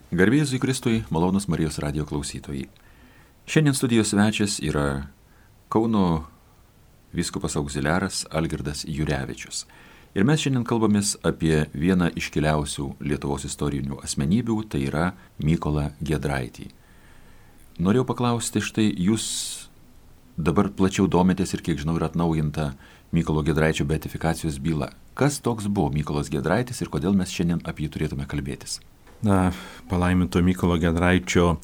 Garbė Jėzui Kristui, malonūs Marijos radijo klausytojai. Šiandien studijos svečias yra Kauno vyskupas auxiliaras Algirdas Jurevičius. Ir mes šiandien kalbamės apie vieną iškiliausių Lietuvos istorinių asmenybių, tai yra Mykolą Giedraitį. Norėjau paklausti, štai jūs dabar plačiau domitės ir kiek žinau yra atnaujinta Mykolo Giedraičio beatifikacijos byla. Kas toks buvo Mykolas Giedraitis ir kodėl mes šiandien apie jį turėtume kalbėtis? Palaiminto Mykolo Giedraičio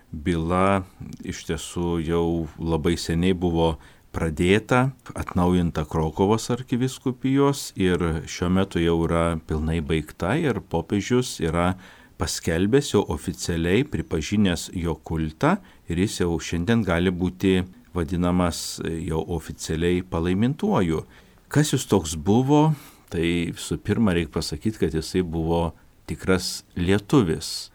byla iš tiesų jau labai seniai buvo pradėta, atnaujinta Krokuvos arkivyskupijos ir šiuo metu jau yra pilnai baigta ir popiežius yra paskelbęs jau oficialiai, pripažinęs jo kultą ir jis jau šiandien gali būti vadinamas jau oficialiai palaimintuoju. Kas jis toks buvo? Tai visų pirma reikia pasakyti, kad jisai buvo tikras lietuvis.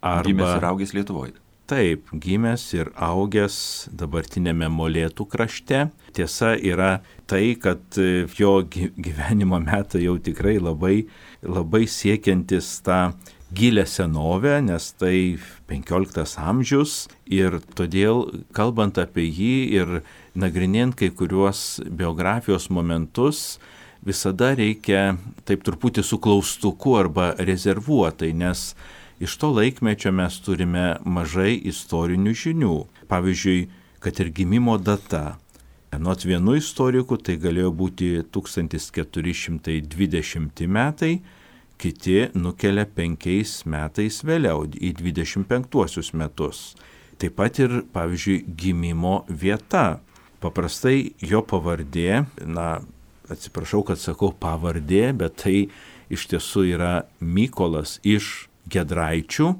Gimęs ir augęs Lietuvoje. Taip, gimęs ir augęs dabartinėme Molėtų krašte. Tiesa yra tai, kad jo gyvenimo metai jau tikrai labai siekiantis tą gilę senovę, nes tai 15 amžius ir todėl, kalbant apie jį ir nagrinėjant kai kuriuos biografijos momentus, visada reikia taip truputį su klaustuku arba rezervuotai, nes iš to laikmečio mes turime mažai istorinių žinių. Pavyzdžiui, kad ir gimimo data. Anot vienų istorikų tai galėjo būti 1420 metai, kiti nukelia 5 metais vėliau, į 25 metus. Taip pat ir, pavyzdžiui, gimimo vieta. Paprastai jo pavardė, atsiprašau, kad sakau pavardė, bet tai iš tiesų yra Mykolas iš Giedraičių.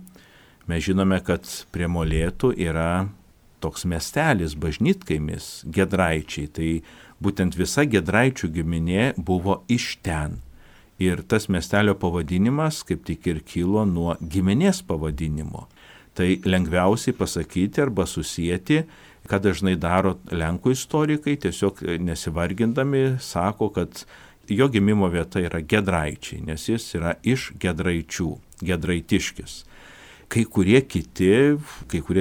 Mes žinome, kad prie Molėtų yra toks miestelis, bažnytkaimis, Giedraičiai. Tai būtent visa Giedraičių giminė buvo iš ten. Ir tas miestelio pavadinimas kaip tik ir kilo nuo giminės pavadinimo. Tai lengviausiai pasakyti arba susijęti, ką dažnai daro lenkų istorikai, tiesiog nesivargindami sako, kad jo gimimo vieta yra Giedraičiai, nes jis yra iš Giedraičių, Giedraitiškis. Kai kurie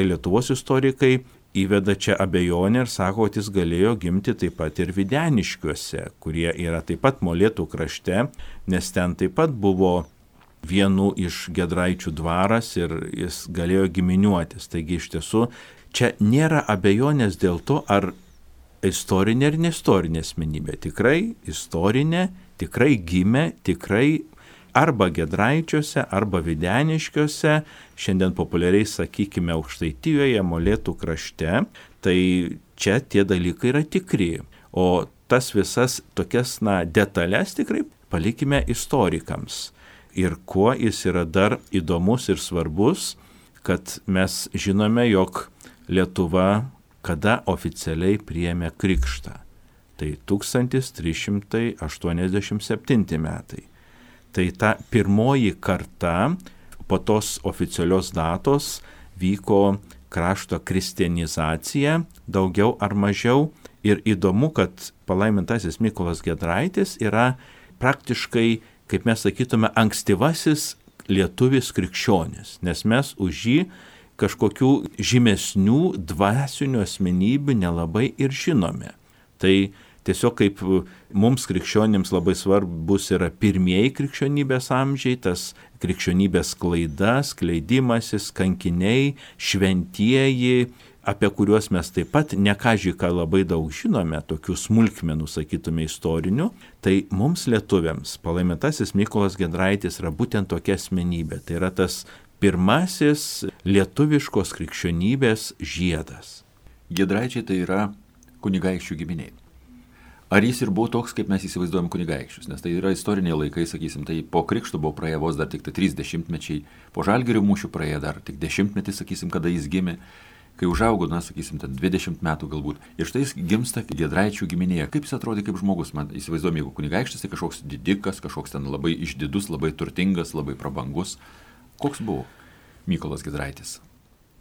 Lietuvos istorikai įveda čia abejonę ir sako, kad jis galėjo gimti taip pat ir Videniškiuose, kurie yra taip pat Molėtų krašte, nes ten taip pat buvo vienų iš Giedraičių dvaras ir jis galėjo giminiuotis. Taigi iš tiesų čia nėra abejonės dėl to, ar istorinė ar neistorinė asmenybė. Tikrai istorinė, tikrai gimė, tikrai arba Giedraičiuose, arba Videniškiuose, šiandien populiariai sakykime Aukštaitijoje, Molėtų krašte, tai čia tie dalykai yra tikri. O tas visas tokias detalės tikrai palikime istorikams. Ir kuo jis yra dar įdomus ir svarbus, kad mes žinome, jog Lietuva kada oficialiai priėmė krikštą. Tai 1387 metai. Tai ta pirmoji karta po tos oficialios datos vyko krašto kristianizacija, daugiau ar mažiau. Ir įdomu, kad palaimintasis Mykolas Giedraitis yra praktiškai, kaip mes sakytume, ankstyvasis lietuvis krikščionis, nes mes už jį kažkokių žymesnių dvasinių asmenybių nelabai ir žinome. Tai tiesiog kaip mums krikščionims labai svarbus yra pirmieji krikščionybės amžiai, tas krikščionybės sklaida, skleidimasis, kankiniai, šventieji, apie kuriuos mes taip pat nekažiką labai daug žinome, tokių smulkmenų, sakytume, istorinių, tai mums lietuviams palaimintasis Mykolas Giedraitis yra būtent tokia asmenybė. Tai yra tas pirmasis lietuviškos krikščionybės žiedas. Giedraičiai tai yra kunigaikščių giminiai. Ar jis ir buvo toks, kaip mes įsivaizduojam kunigaikščius? Nes tai yra istoriniai laikai, sakysim, tai po krikšto buvo praėję vos dar tik 30 mečiai, po Žalgirio mūšių praėję dar tik 10 metai, sakysim, kada jis gimė, kai užaugo, sakysim, 20 metų galbūt. Ir štai jis gimsta Giedraičių giminėje. Kaip jis atrodė kaip žmogus? Man įsivaizduojam, jeigu kunigaikštis, tai kažkoks didikas, kažkoks ten labai išdidus, labai turtingas, labai prabangus. Koks buvo Mykolas Giedraitis?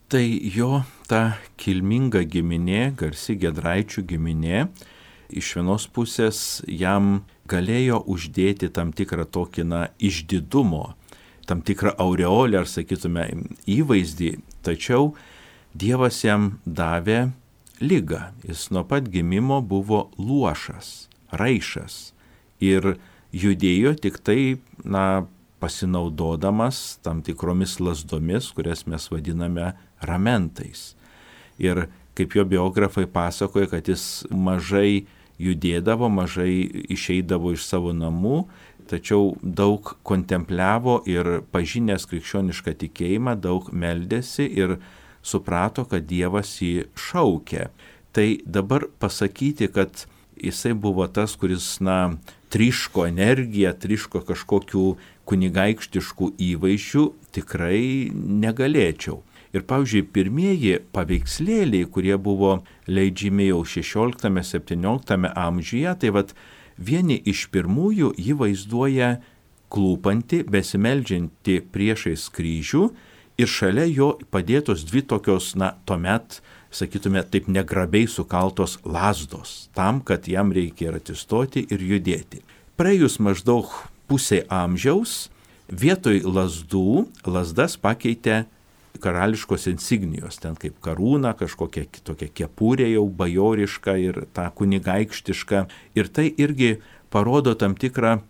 Tai jo ta kilminga giminė, garsi Giedraičių giminė, iš vienos pusės jam galėjo uždėti tam tikrą tokį išdidumo, tam tikrą aureolę, ar sakytume įvaizdį, tačiau Dievas jam davė ligą. Jis nuo pat gimimo buvo luošas, raišas ir judėjo tik tai, pasinaudodamas tam tikromis lasdomis, kurias mes vadiname ramentais. Ir kaip jo biografai pasakoja, kad jis mažai judėdavo, mažai išeidavo iš savo namų, tačiau daug kontempliavo ir pažinęs krikščionišką tikėjimą, daug meldėsi ir suprato, kad Dievas jį šaukė. Tai dabar pasakyti, kad jisai buvo tas, kuris, tryško energiją, tryško kažkokių kunigaikštiškų įvaizdžių, tikrai negalėčiau. Ir, pavyzdžiui, pirmieji paveikslėliai, kurie buvo leidžiami jau 16-17 amžiuje, tai vieni iš pirmųjų jį vaizduoja klūpantį, besimeldžiantį priešais kryžių ir šalia jo padėtos dvi tokios, tuomet, sakytume, taip negrabiai sukaltos lazdos, tam, kad jam reikia ir atsistoti ir judėti. Praėjus maždaug pusė amžiaus, vietoj lazdų, lazdas pakeitė karališkos insignijos, ten kaip karūna, kažkokia kitokia kepurė jau bajoriška ir ta kunigaikštiška. Ir tai irgi parodo tam tikrą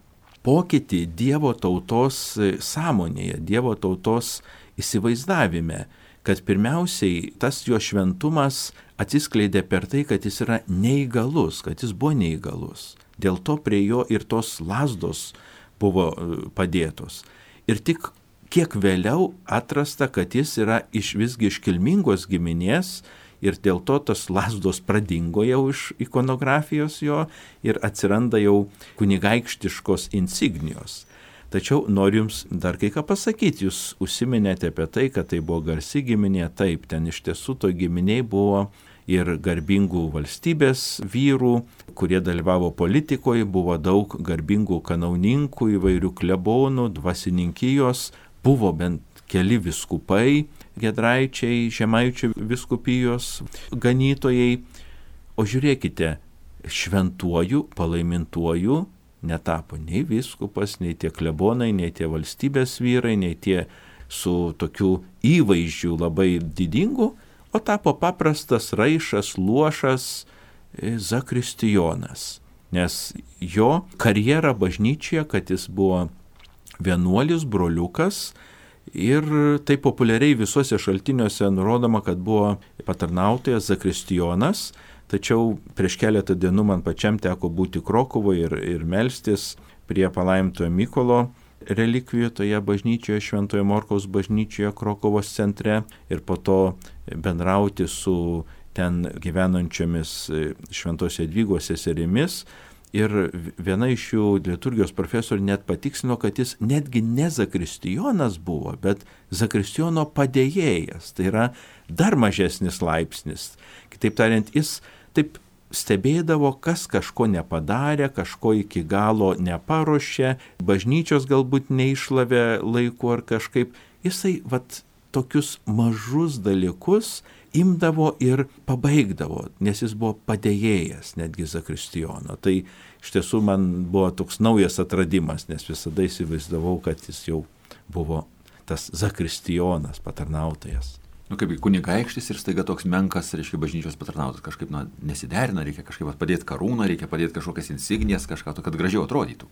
pokytį Dievo tautos sąmonėje, Dievo tautos įsivaizdavime, kad pirmiausiai tas jo šventumas atsiskleidė per tai, kad jis yra neįgalus, kad jis buvo neįgalus. Dėl to prie jo ir tos lazdos buvo padėtos. Ir tik kiek vėliau atrasta, kad jis yra visgi iš kilmingos giminės ir dėl to tos lazdos pradingo jau iš ikonografijos jo ir atsiranda jau kunigaikštiškos insignijos. Tačiau noriu jums dar kai ką pasakyti, jūs užsiminėte apie tai, kad tai buvo garsi giminė, taip, ten iš tiesų to giminiai buvo ir garbingų valstybės vyrų, kurie dalyvavo politikoje, buvo daug garbingų kanauninkų, įvairių klebonų, dvasininkijos, buvo bent keli vyskupai, Giedraičiai, Žemaičių vyskupijos ganytojai. O žiūrėkite, šventuoju, palaimintuoju netapo nei vyskupas, nei tie klebonai, nei tie valstybės vyrai, nei tie su tokiu įvaizdžiu labai didingu, o tapo paprastas raišas, luošas zakristijonas. Nes jo karjera bažnyčioje, kad jis buvo vienuolis, broliukas, ir tai populiariai visuose šaltiniuose nurodoma, kad buvo patarnautojas zakristijonas, tačiau prieš keletą dienų man pačiam teko būti Krokuvoje ir melstis prie palaimintojo Mykolo relikvijų toje bažnyčioje, Šventojo Morkaus bažnyčioje Krokuvos centre ir po to bendrauti su ten gyvenančiomis Šventos Jadvygos seserimis. Ir viena iš jų liturgijos profesorių net patikslino, kad jis netgi ne zakristijonas buvo, bet zakristijono padėjėjas. Tai yra dar mažesnis laipsnis. Kitaip tariant, jis taip stebėdavo, kas kažko nepadarė, kažko iki galo neparuošė, bažnyčios galbūt neišlavė laiku ar kažkaip. Jisai tokius mažus dalykus imdavo ir pabaigdavo, nes jis buvo padėjėjas netgi zakristijono. Tai iš tiesų man buvo toks naujas atradimas, nes visada įsivaizdavau, kad jis jau buvo tas zakristijonas, patarnautojas. Kaip kunigaikštis ir staiga toks menkas, reiškia, bažnyčios patarnautas, kažkaip nesiderina, reikia kažkaip padėti karūną, reikia padėti kažkokias insignijas, kažką to, kad gražiau atrodytų.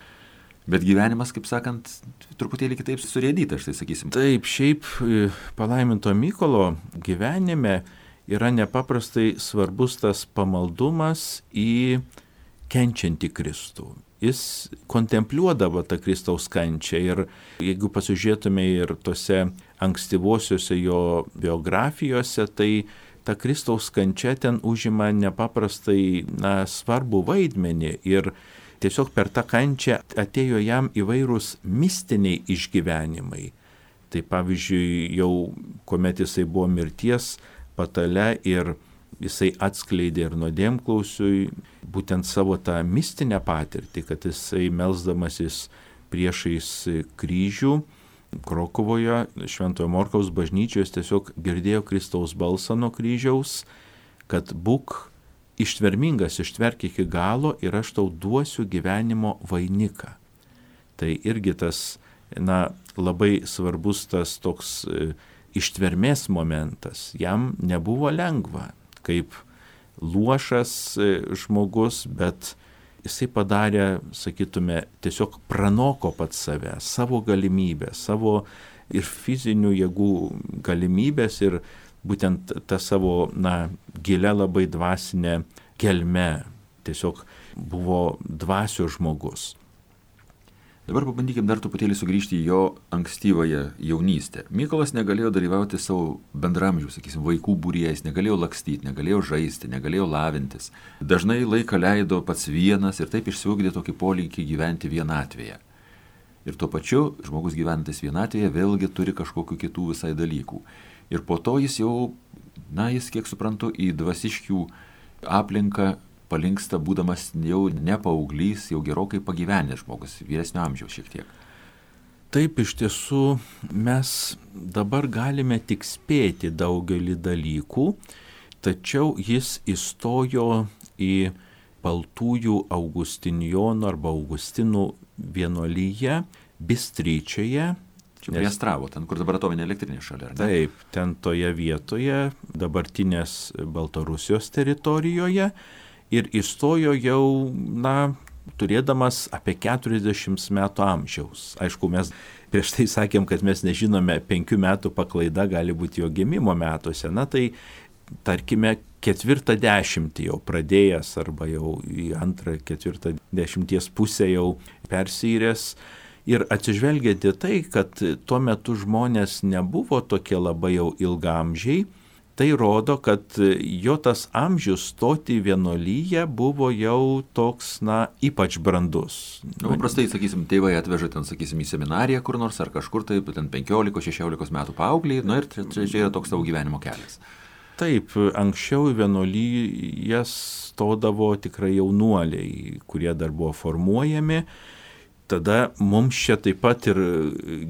Bet gyvenimas, kaip sakant, truputėlį kitaip surėdytas, štai sakysim. Taip, šiaip palaiminto Mykolo gyvenime yra nepaprastai svarbus tas pamaldumas į kenčiantį Kristų. Jis kontempliuodavo tą Kristaus kančią ir jeigu pasižiūrėtume ir tose ankstyvosiuose jo biografijose, tai ta Kristaus kančia ten užima nepaprastai svarbų vaidmenį ir tiesiog per tą kančią atėjo jam įvairūs mistiniai išgyvenimai. Tai pavyzdžiui, jau kuomet jisai buvo mirties patale ir jisai atskleidė ir nuodėmklausiui būtent savo tą mistinę patirtį, kad jisai melsdamasis priešais kryžių Krokuvoje, Šventojo Morkaus bažnyčios tiesiog girdėjo Kristaus balsą nuo kryžiaus, kad būk ištvermingas, ištverk iki galo ir aš tau duosiu gyvenimo vainiką. Tai irgi tas labai svarbus tas toks ištvermės momentas. Jam nebuvo lengva, kaip luošas žmogus, bet jisai padarė, sakytume, tiesiog pranoko pats save, savo galimybę, savo ir fizinių jėgų galimybės ir būtent tą savo, gilę labai dvasinę gelmę. Tiesiog buvo dvasios žmogus. Dabar pabandykim dar truputėlį sugrįžti į jo ankstyvąją jaunystę. Mykolas negalėjo dalyvauti savo bendramžių, vaikų būriais, negalėjo lakstyti, negalėjo žaisti, negalėjo lavintis. Dažnai laiką leido pats vienas ir taip išsiugdė tokį polinkį gyventi vienatvėje. Ir tuo pačiu žmogus gyvenantis vienatvėje vėlgi turi kažkokių kitų visai dalykų. Ir po to jis jau, jis, kiek suprantu, į dvasiškių aplinką palinksta, būdamas jau ne paauglys, jau gerokai pagyvenęs žmogus, vyresnio amžiaus šiek tiek. Taip, iš tiesų, mes dabar galime tik spėti daugelį dalykų, tačiau jis įstojo į Baltųjų Augustinjonų arba Augustinų vienuolyje Bystryčioje. Čia prie Astravo, ten, kur dabar atominė elektrinė šalia, ar ne? Taip, ten toje vietoje, dabartinės Baltarusijos teritorijoje. Ir įstojo jau, turėdamas apie 40 metų amžiaus. Aišku, mes prieš tai sakėm, kad mes nežinome, 5 metų paklaida gali būti jo gimimo metuose. Tai tarkime 40 jau pradėjęs arba jau į 2-4 pusę jau persyręs. Ir atsižvelgiant į tai, kad tuo metu žmonės nebuvo tokie labai jau ilgaamžiai, tai rodo, kad jo tas amžius stoti į vienuolyje buvo jau toks, ypač brandus. Paprastai, tėvai atveža ten, į seminariją kur nors ar kažkur, tai ten 15-16 metų paaugliai, ir čia yra toks tavo gyvenimo kelias. Taip, anksčiau į vienuolyje stodavo tikrai jaunuoliai, kurie dar buvo formuojami. Tada mums čia taip pat ir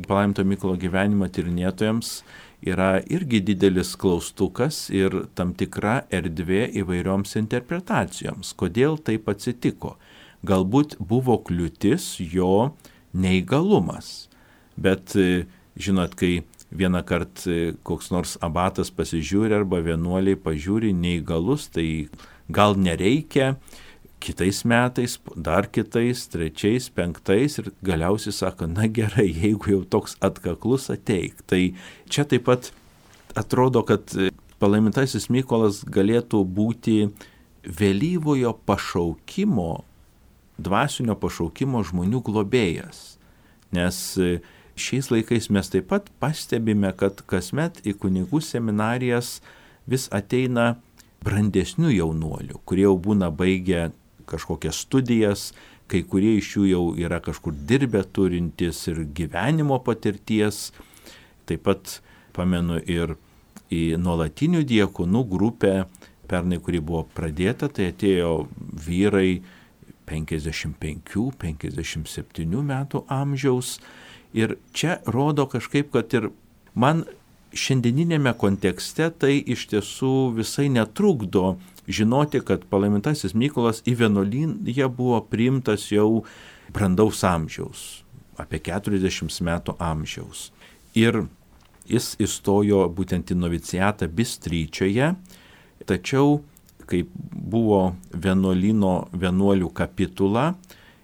palaiminto Mykolo gyvenimo tyrinėtojams yra irgi didelis klaustukas ir tam tikra erdvė įvairioms interpretacijoms. Kodėl taip atsitiko? Galbūt buvo kliūtis jo neįgalumas. Bet, žinot, kai vieną kartą koks nors abatas pasižiūri arba vienuoliai pažiūri neįgalus, tai gal nereikia, kitais metais, dar kitais, 3, 5 ir galiausiai sako, gerai, jeigu jau toks atkaklus ateik. Tai čia taip pat atrodo, kad palaimintasis Mykolas galėtų būti vėlyvojo pašaukimo, dvasinio pašaukimo žmonių globėjas. Nes šiais laikais mes taip pat pastebime, kad kasmet į kunigų seminarijas vis ateina brandesnių jaunuolių, kurie jau būna baigę kažkokias studijas, kai kurie iš jų jau yra kažkur dirbę turintys ir gyvenimo patirties. Taip pat pamenu ir į nuolatinių diakonų grupę, pernai, kuri buvo pradėta, tai atėjo vyrai 55-57 metų amžiaus. Ir čia rodo kažkaip, kad ir man šiandieninėme kontekste tai iš tiesų visai netrukdo žinoti, kad palaimintasis Mykolas į vienuolyną buvo priimtas jau brandaus amžiaus, apie 40 metų amžiaus. Ir jis įstojo būtent į noviciatą Bystryčioje, tačiau kai buvo vienuolių kapitula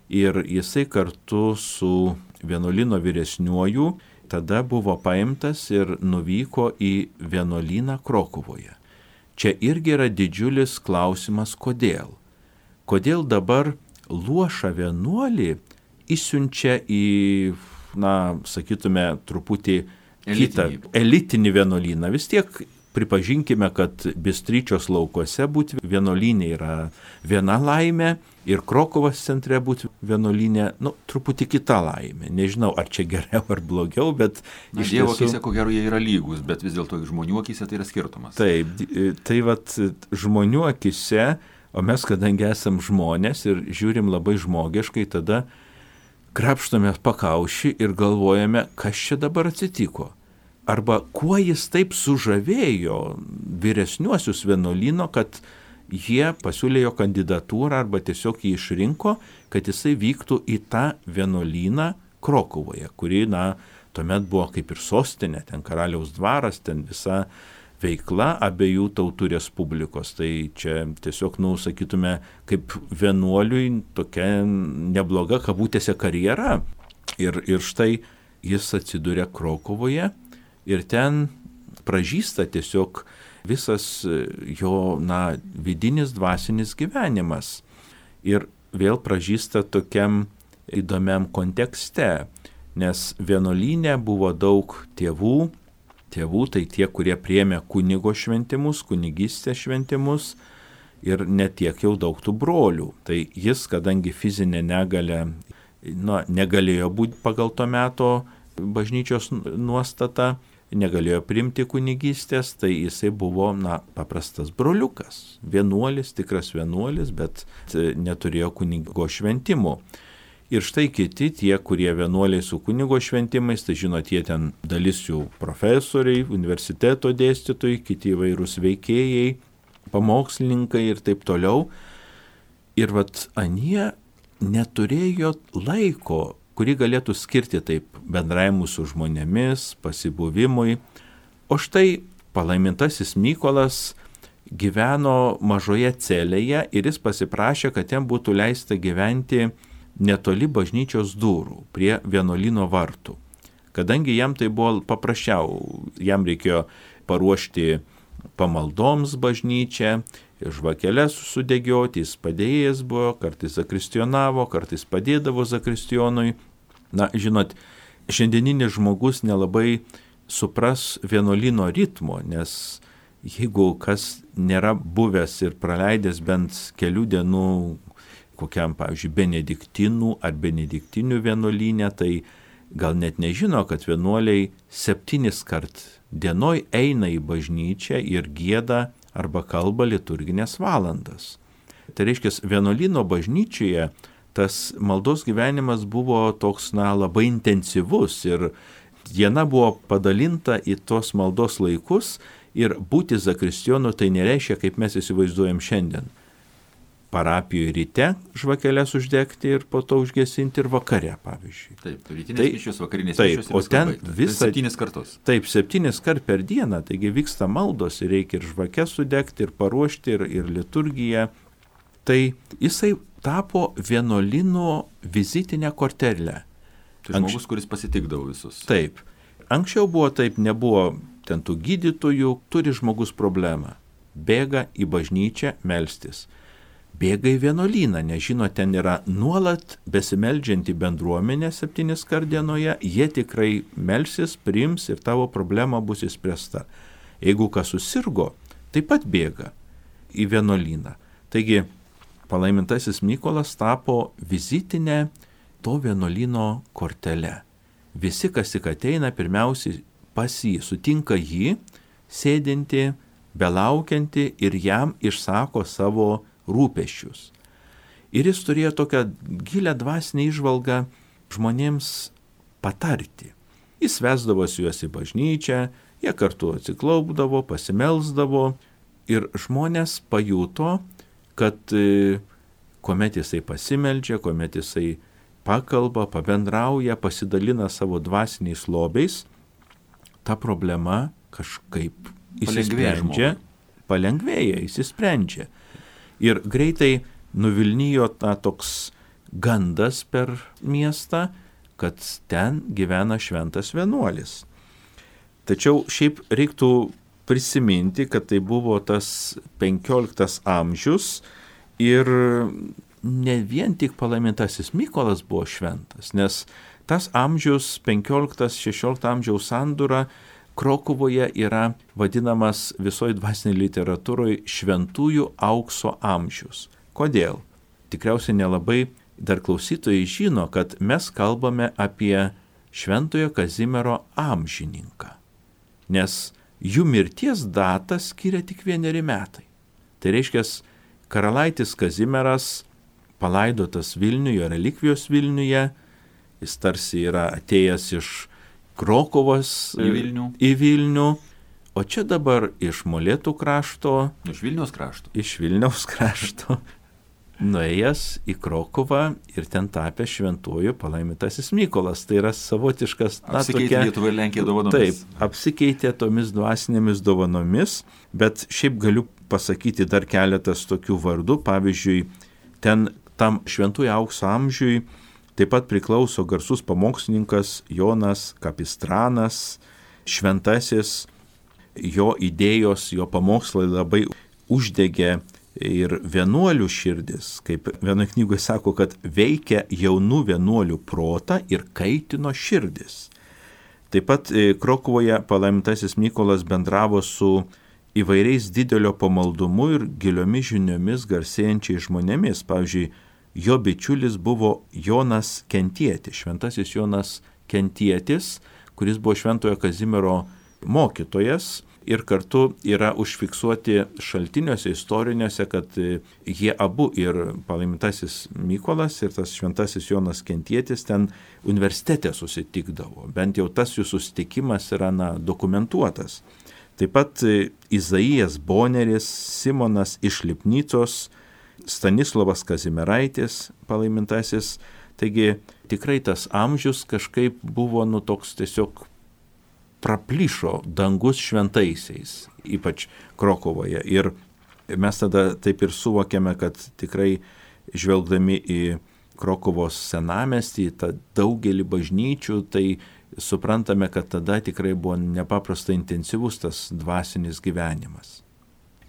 ir jisai kartu su vienuolyno vyresniuoju tada buvo paimtas ir nuvyko į vienuolyną Krokuvoje. Čia irgi yra didžiulis klausimas, kodėl. Kodėl dabar luošą vienuolį išsiunčia į, sakytume, truputį kitą elitinį vienuolyną. Vis tiek pripažinkime, kad Bystryčios laukuose būti vienuolynė yra viena laimė ir Krokuvos centre būti vienuolynė, truputį kita laimė. Nežinau, ar čia geriau ar blogiau, bet iš Dievo akise, ko gero, jie yra lygus, bet vis dėlto žmonių akise tai yra skirtumas. Taip, tai žmonių akise, o mes kadangi esam žmonės ir žiūrim labai žmogiškai, tada krapštome pakaušį ir galvojame, kas čia dabar atsitiko. Arba kuo jis taip sužavėjo vyresniuosius vienuolyno, kad jie pasiūlė jo kandidatūrą arba tiesiog jį išrinko, kad jisai vyktų į tą vienuolyną Krokuvoje, kuri, tuomet buvo kaip ir sostinė, ten karaliaus dvaras, ten visa veikla abiejų tautų respublikos. Tai čia tiesiog, sakytume, kaip vienuoliui tokia nebloga kabutėse karjera. Ir štai jis atsiduria Krokuvoje ir ten pražysta tiesiog visas jo, vidinis dvasinis gyvenimas. Ir vėl pražysta tokiam įdomiam kontekste, nes vienuolyne buvo daug tėvų tai tie, kurie priėmė kunigo šventimus, kunigystės šventimus ir netiek jau daug tų brolių. Tai jis, kadangi fizinė negalė, negalėjo būti pagal to meto bažnyčios nuostata, negalėjo priimti kunigystės, tai jisai buvo, paprastas broliukas, vienuolis, tikras vienuolis, bet neturėjo kunigo šventimų. Ir štai kiti, tie, kurie vienuoliai su kunigo šventimais, tai žinot, jie ten dalis jų profesoriai, universiteto dėstytojai, kiti įvairūs veikėjai, pamokslininkai ir taip toliau. Ir anie neturėjo laiko, kurį galėtų skirti taip bendravimui su žmonėmis, pasibuvimui. O štai palaimintasis Mykolas gyveno mažoje celėje ir jis pasiprašė, kad jam būtų leista gyventi netoli bažnyčios durų, prie vienuolyno vartų. Kadangi jam tai buvo paprasčiau, jam reikėjo paruošti pamaldoms bažnyčią, žvakeles sudegioti, jis padėjęs buvo, kartais zakristionavo, kartais padėdavo zakristionui. Žinot, šiandieninis žmogus nelabai supras vienuolyno ritmo, nes jeigu kas nėra buvęs ir praleidęs bent kelių dienų kokiam, pavyzdžiui, benediktinų ar benediktinių vienuolyne, tai gal net nežino, kad vienuoliai 7 kart dienoj eina į bažnyčią ir gieda arba kalba liturginės valandas. Tai reiškia, vienuolyno bažnyčioje tas maldos gyvenimas buvo toks, labai intensyvus ir diena buvo padalinta į tos maldos laikus ir būti zakristijonu tai nereiškia, kaip mes įsivaizduojam šiandien. Parapijoje ryte žvakeles uždegti ir po to užgesinti ir vakare, pavyzdžiui. Taip, rytinės mišios, vakarinės mišios. O ten visą 7 kartus. Taip, 7 kart per dieną, taigi vyksta maldos ir reikia ir žvakes sudegti, ir paruošti, ir liturgiją. Tai jisai tapo vienuolyno vizitinę kortelę. Tai žmogus, kuris pasitikdavo visus. Taip. Anksčiau buvo taip, nebuvo ten tų gydytojų, turi žmogus problemą. Bėga į bažnyčią melstis. Bėga į vienuolyną, nes žino, ten yra nuolat besimeldžianti bendruomenė 7 kart dienoje, jie tikrai melsis, priims ir tavo problema bus išspręsta. Jeigu kas susirgo, taip pat bėga į vienuolyną. Taigi, palaimintasis Mykolas tapo vizitinę to vienuolyno kortelę. Visi, kas tik ateina, pirmiausiai pas jį, sutinka jį, sėdinti, belaukianti ir jam išsako savo rūpesčius. Ir jis turėjo tokią gilę dvasinę įžvalgą žmonėms patarti. Jis vesdavosi juos į bažnyčią, jie kartu atsiklaupdavo, pasimelsdavo ir žmonės pajuto, kad kuomet jisai pasimeldžia, kuomet jisai pakalba, pabendrauja, pasidalina savo dvasiniais lobiais, ta problema kažkaip palengvėja, išsisprendžia. Ir greitai nuvilnijo toks gandas per miestą, kad ten gyvena šventas vienuolis. Tačiau šiaip reiktų prisiminti, kad tai buvo tas 15 amžius ir ne vien tik palaimintasis Mykolas buvo šventas, nes tas amžius 15-16 amžiaus sandūra Krokuvoje yra vadinamas visoje dvasinėje literatūroje šventųjų aukso amžius. Kodėl? Tikriausiai nelabai dar klausytojai žino, kad mes kalbame apie šventojo Kazimiero amžininką, nes jų mirties datą skiria tik 1 metai. Tai reiškia, karalaitis Kazimieras palaidotas Vilniuje, relikvijos Vilniuje, jis tarsi yra atėjęs iš Krokuvos į Vilnių, o čia dabar iš Molėtų krašto. Iš Vilniaus krašto. Iš Vilniaus krašto. nuėjęs į Krokuvą ir ten tapęs šventuoju palaimintasis Mykolas. Tai yra savotiškas... Apsikeitė Lietuva ir Lenkija dovanomis. Taip, apsikeitė tomis dvasinėmis dovanomis, bet šiaip galiu pasakyti dar keletas tokių vardų. Pavyzdžiui, ten tam šventųjų aukso amžiui taip pat priklauso garsus pamokslininkas Jonas Kapistranas, šventasis, jo idėjos, jo pamokslai labai uždegė ir vienuolių širdis, kaip vienoje knygoje sako, kad veikia jaunų vienuolių protą ir kaitino širdis. Taip pat Krokuvoje palaimintasis Mykolas bendravo su įvairiais didelio pamaldumu ir giliomis žiniomis garsėjančiais žmonėmis. Pavyzdžiui, jo bičiulis buvo Jonas Kentietis, šventasis Jonas Kentietis, kuris buvo Šventojo Kazimiero mokytojas ir kartu yra užfiksuoti šaltiniuose istoriniuose, kad jie abu ir palaimintasis Mykolas ir tas šventasis Jonas Kentietis ten universitete susitikdavo. Bent jau tas jų susitikimas yra dokumentuotas. Taip pat Izaijas Boneris, Simonas iš Lipnicos, Stanislovas Kazimieraitis palaimintasis. Taigi tikrai tas amžius kažkaip buvo toks tiesiog praplyšo dangus šventaisiais, ypač Krokuvoje. Ir mes tada taip ir suvokėme, kad tikrai žvelgdami į Krokuvos senamiestį, tą daugelį bažnyčių, tai suprantame, kad tada tikrai buvo nepaprastai intensyvus tas dvasinis gyvenimas.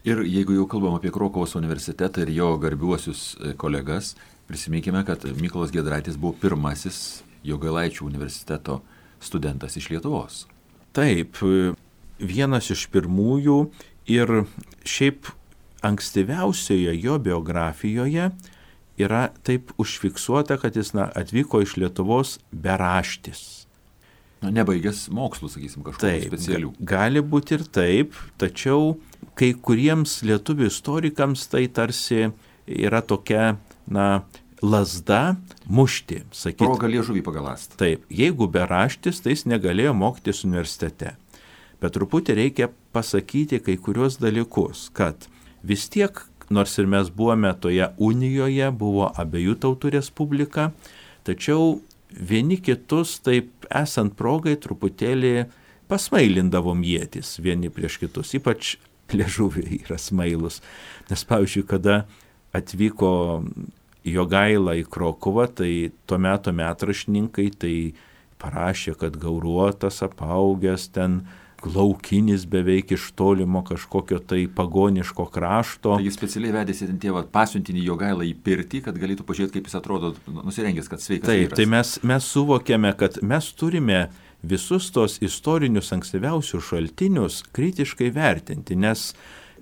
Ir jeigu jau kalbam apie Krokuvos universitetą ir jo garbiuosius kolegas, prisiminkime, kad Mykolas Giedraitis buvo pirmasis Jogailaičių universiteto studentas iš Lietuvos. Taip, vienas iš pirmųjų ir šiaip ankstyviausioje jo biografijoje yra taip užfiksuota, kad jis atvyko iš Lietuvos beraštis. Nebaigęs mokslų, sakysim, kažkokių specialių. Gali būti ir taip, tačiau kai kuriems lietuvių istorikams tai tarsi yra tokia, lazda mušti, sakyti. Proga liežuvį pagaląsti. Taip, jeigu beraštis, tai jis negalėjo mokytis universitete. Bet truputį reikia pasakyti kai kurios dalykus, kad vis tiek, nors ir mes buvome toje unijoje, buvo abiejų tautų respublika, tačiau vieni kitus, taip esant progai, truputėlį pasmailindavom ietis vieni prieš kitus, ypač liežuviai yra smailus. Nes pavyzdžiui, kada atvyko Jogaila į Krokuvą, tai tuo metu metraštininkai tai parašė, kad gauruotas, apaugęs, ten laukinis beveik iš tolimo kažkokio tai pagoniško krašto. Tai jis specialiai vedėsi ten tėvą pasiuntinį Jogailą į pirtį, kad galėtų pažiūrėti, kaip jis atrodo nusirengęs, kad sveikas vyras. Taip, tai mes suvokėme, kad mes turime visus tos istorinius ankstyviausius šaltinius kritiškai vertinti, nes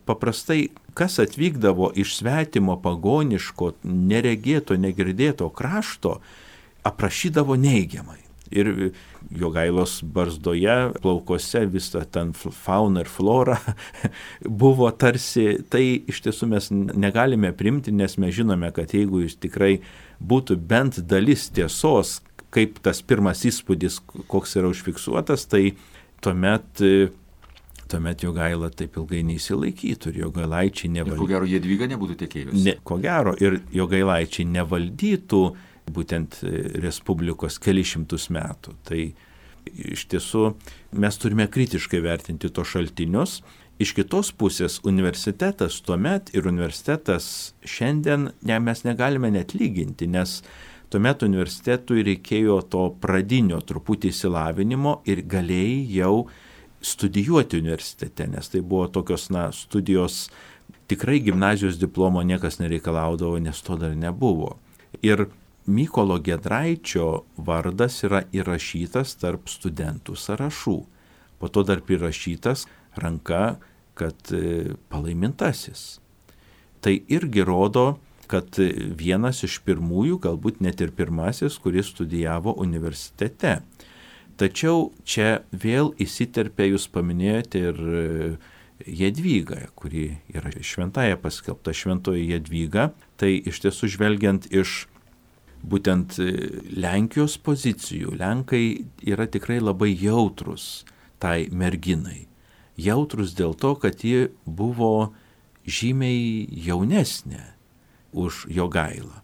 paprastai kas atvykdavo iš svetimo pagoniško, neregėto, negirdėto krašto, aprašydavo neigiamai. Ir Jogailos barzdoje, plaukose visą ten fauna ir flora buvo tarsi, tai iš tiesų mes negalime primti, nes mes žinome, kad jeigu jis tikrai būtų bent dalis tiesos, kaip tas pirmas įspūdis, koks yra užfiksuotas, tai tuomet Jogaila taip ilgai neįsilaikytų ir Jogailaičiai nevaldytų. Ir ko gero Jadvyga nebūtų tekėjusi. Ko gero ir Jogailaičiai nevaldytų būtent Respublikos kelišimtus metų. Tai iš tiesų mes turime kritiškai vertinti tos šaltinius. Iš kitos pusės universitetas tuomet ir universitetas šiandien mes negalime net lyginti, nes tuomet universitetui reikėjo to pradinio truputį išsilavinimo ir galėjai jau studijuoti universitete, nes tai buvo tokios studijos, tikrai gimnazijos diplomo niekas nereikalaudavo, nes to dar nebuvo. Ir Mykolo Giedraičio vardas yra įrašytas tarp studentų sąrašų. Po to dar prirašytas ranka, kad palaimintasis. Tai irgi rodo, kad vienas iš pirmųjų, galbūt net ir pirmasis, kuris studijavo universitete. Tačiau čia vėl įsiterpė, jūs paminėjote ir Jadvygą, kuri yra šventąja paskelbta šventoji Jadvyga. Tai iš tiesų žvelgiant iš būtent Lenkijos pozicijų, Lenkai yra tikrai labai jautrus tai merginai. Jautrus dėl to, kad ji buvo žymiai jaunesnė už Jogailą.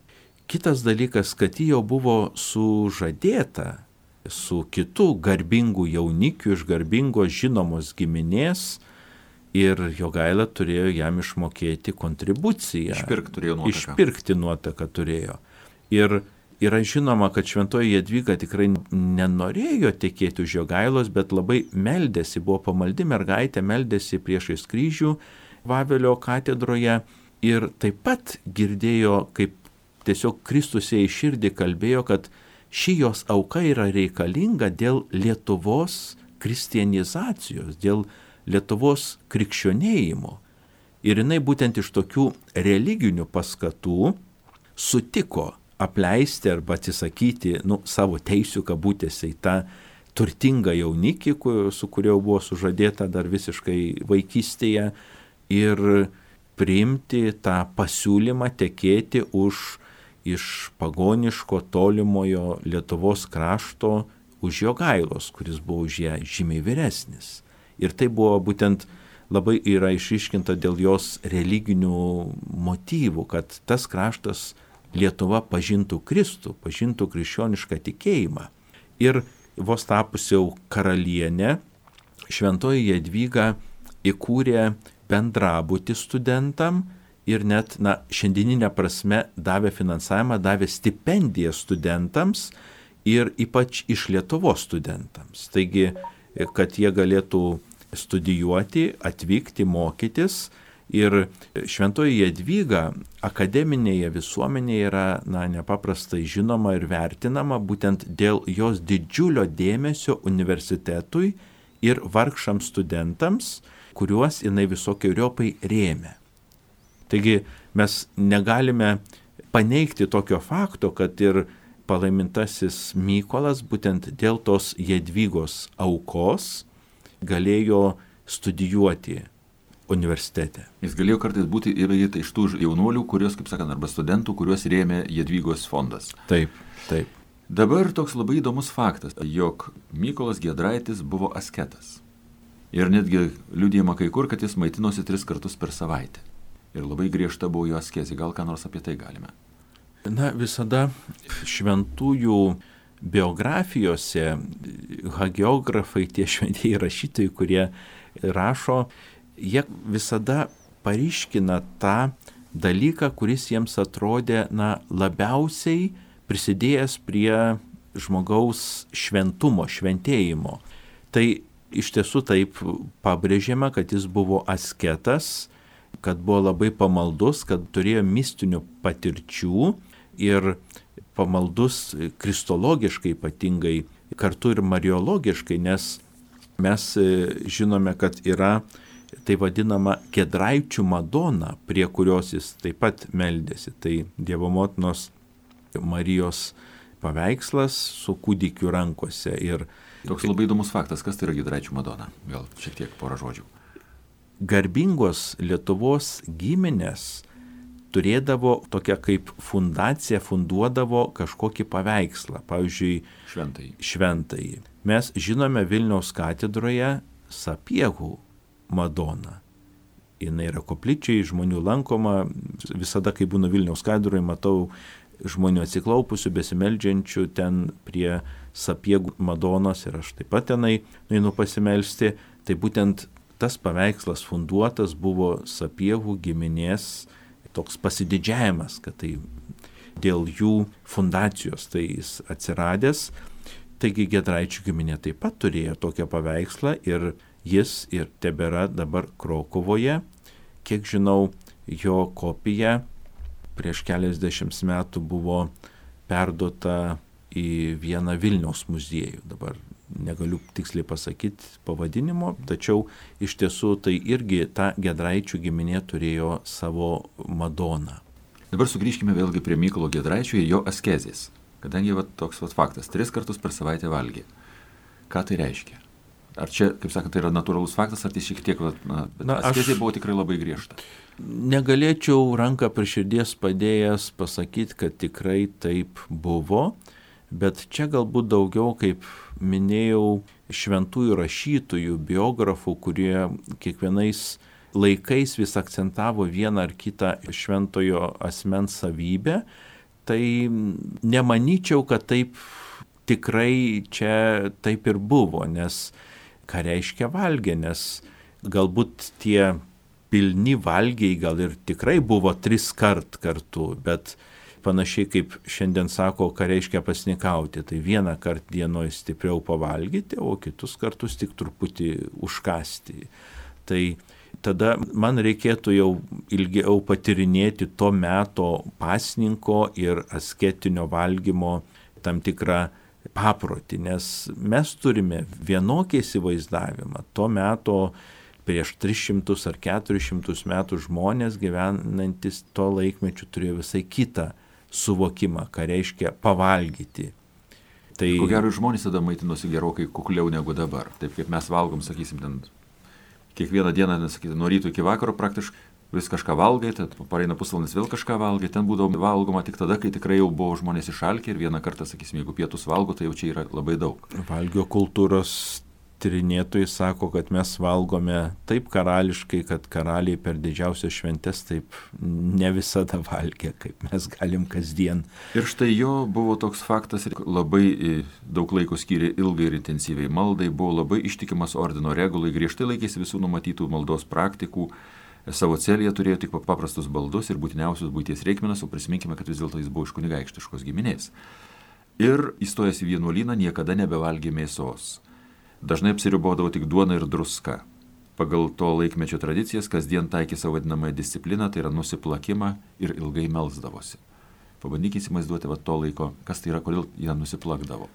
Kitas dalykas, kad ji jau buvo sužadėta su kitu garbingu jaunikiu iš garbingos žinomos giminės ir Jogaila turėjo jam išmokėti kontribuciją. Išpirkti nuotaką turėjo. Ir yra žinoma, kad šventoji Jadvyga tikrai nenorėjo tekėti už Jogailos, bet labai meldėsi, buvo pamaldi mergaitė, meldėsi priešais kryžių Vavelio katedroje ir taip pat girdėjo, kaip tiesiog Kristus jai širdį kalbėjo, kad ši jos auka yra reikalinga dėl Lietuvos kristianizacijos, dėl Lietuvos krikščionėjimo. Ir jinai būtent iš tokių religinių paskatų sutiko apleisti arba atsisakyti savo teisių kabutėse į tą turtingą jaunikį, su kuriuo buvo sužadėta dar visiškai vaikystėje, ir priimti tą pasiūlymą tekėti iš pagoniško tolimojo Lietuvos krašto už Jogailos, kuris buvo už ją žymiai vyresnis. Ir tai buvo būtent labai yra išryškinta dėl jos religinių motyvų, kad tas kraštas Lietuva pažintų Kristų, pažintų krikščionišką tikėjimą. Ir vos tapusi jau karalienė, šventoji Jadvyga įkūrė bendrabutį studentam ir net, šiandieninė prasme davė finansavimą, davė stipendiją studentams ir ypač iš Lietuvos studentams. Taigi, kad jie galėtų studijuoti, atvykti, mokytis. Ir šventoji Jadvyga akademinėje visuomenėje yra nepaprastai žinoma ir vertinama būtent dėl jos didžiulio dėmesio universitetui ir vargšams studentams, kuriuos jinai visokiojopai rėmė. Taigi mes negalime paneigti tokio fakto, kad ir palaimintasis Mykolas būtent dėl tos Jadvygos aukos galėjo studijuoti universitete. Jis galėjo kartais būti ir iš tų jaunuolių, kurios, kaip sakant, arba studentų, kuriuos rėmė Jadvygos fondas. Taip. Dabar toks labai įdomus faktas, jog Mykolas Giedraitis buvo asketas. Ir netgi liudijama kai kur, kad jis maitinosi 3 kartus per savaitę. Ir labai griežta buvo jo askezė. Gal ką nors apie tai galime? Visada šventųjų biografijose hagiografai, tie šventieji rašytojai, kurie rašo, jie visada paryškina tą dalyką, kuris jiems atrodė labiausiai prisidėjęs prie žmogaus šventumo, šventėjimo. Tai iš tiesų taip pabrėžiama, kad jis buvo asketas, kad buvo labai pamaldus, kad turėjo mistinių patirčių ir pamaldus kristologiškai ypatingai, kartu ir mariologiškai, nes mes žinome, kad yra tai vadinama Giedraičių Madona, prie kurios jis taip pat meldėsi. Tai Dievo motinos Marijos paveikslas su kūdikiu rankose. Ir toks labai įdomus faktas, kas tai yra Giedraičių Madona? Gal šiek tiek porą žodžių. Garbingos Lietuvos giminės turėdavo tokią kaip fundaciją, funduodavo kažkokį paveikslą, pavyzdžiui, šventąjį. Mes žinome Vilniaus katedroje Sapiegų Madoną. Jis yra koplyčiai, žmonių lankoma, visada, kai būnu Vilniaus katedroje, matau žmonių atsiklaupusių, besimeldžiančių ten prie Sapiegų Madonos ir aš taip pat tenai nueinu pasimelsti. Tai būtent tas paveikslas funduotas buvo Sapiegų giminės toks pasididžiavimas, kad tai dėl jų fundacijos tai jis atsiradęs. Taigi Giedraičių giminė taip pat turėjo tokią paveikslą ir jis ir tebėra dabar Krokuvoje. Kiek žinau, jo kopija prieš keliasdešimt metų buvo perduota į vieną Vilniaus muziejų. Dabar negaliu tiksliai pasakyti pavadinimo, tačiau iš tiesų tai irgi ta Giedraičių giminė turėjo savo Madoną. Dabar sugrįžkime vėlgi prie Mykolo Giedraičio ir jo askezės. Kadangi toks faktas, 3 kartus per savaitę valgė. Ką tai reiškia? Ar čia, kaip sakant, tai yra natūralus faktas, ar tai šiek tiek, askezė buvo tikrai labai griežta? Negalėčiau ranką prie širdies padėjęs pasakyti, kad tikrai taip buvo, bet čia galbūt daugiau, kaip minėjau, šventųjų rašytojų, biografų, kurie kiekvienais laikais vis akcentavo vieną ar kitą šventojo asmens savybę, tai nemanyčiau, kad taip tikrai čia taip ir buvo, nes ką reiškia valgė, nes galbūt tie pilni valgiai gal ir tikrai buvo 3 kart kartu, bet panašiai kaip šiandien sako, ką reiškia pasnikauti, tai vieną kartą dienoje stipriau pavalgyti, o kitus kartus tik truputį užkasti. Tai tada man reikėtų jau ilgiau patirinėti to meto pasninko ir asketinio valgymo tam tikrą paprotį, nes mes turime vienokį įsivaizdavimą. To meto prieš 300 ar 400 metų žmonės gyvenantis to laikmečiu turėjo visai kitą suvokimą, ką reiškia pavalgyti. Tai ko gero žmonės tada maitinosi gerokai kukliau negu dabar. Taip kaip mes valgom, sakysim, ten kiekvieną dieną, sakysim, nuo ryto iki vakaro praktiškai vis kažką valgai, tad pareina pusvalandis vėl kažką valgai, ten būdavo valgoma tik tada, kai tikrai jau buvo žmonės išalkę ir vieną kartą, sakysim, jeigu pietus valgo, tai jau čia yra labai daug. Valgio kultūros tyrinėtojai sako, kad mes valgome taip karališkai, kad karaliai per didžiausias šventes taip ne visada valgė, kaip mes galim kasdien. Ir štai jo buvo toks faktas, labai daug laiko skyrė ilgai ir intensyviai maldai, buvo labai ištikimas ordino regulai, griežtai laikėsi visų numatytų maldos praktikų, savo celėje turėjo tik paprastus baldus ir būtiniausius buities reikmenas, o prisiminkime, kad vis dėlto jis buvo iš kunigaikštiškos giminės. Ir įstojęs į vienuolyną niekada nebevalgė mėsos. Dažnai apsiribodavo tik duona ir druska. Pagal to laikmečio tradicijas kasdien taikė savo vadinamąją discipliną, tai yra nusiplakimą ir ilgai melsdavosi. Pabandykite įsivaizduoti to laiko, kas tai yra, kodėl jie nusiplakdavo.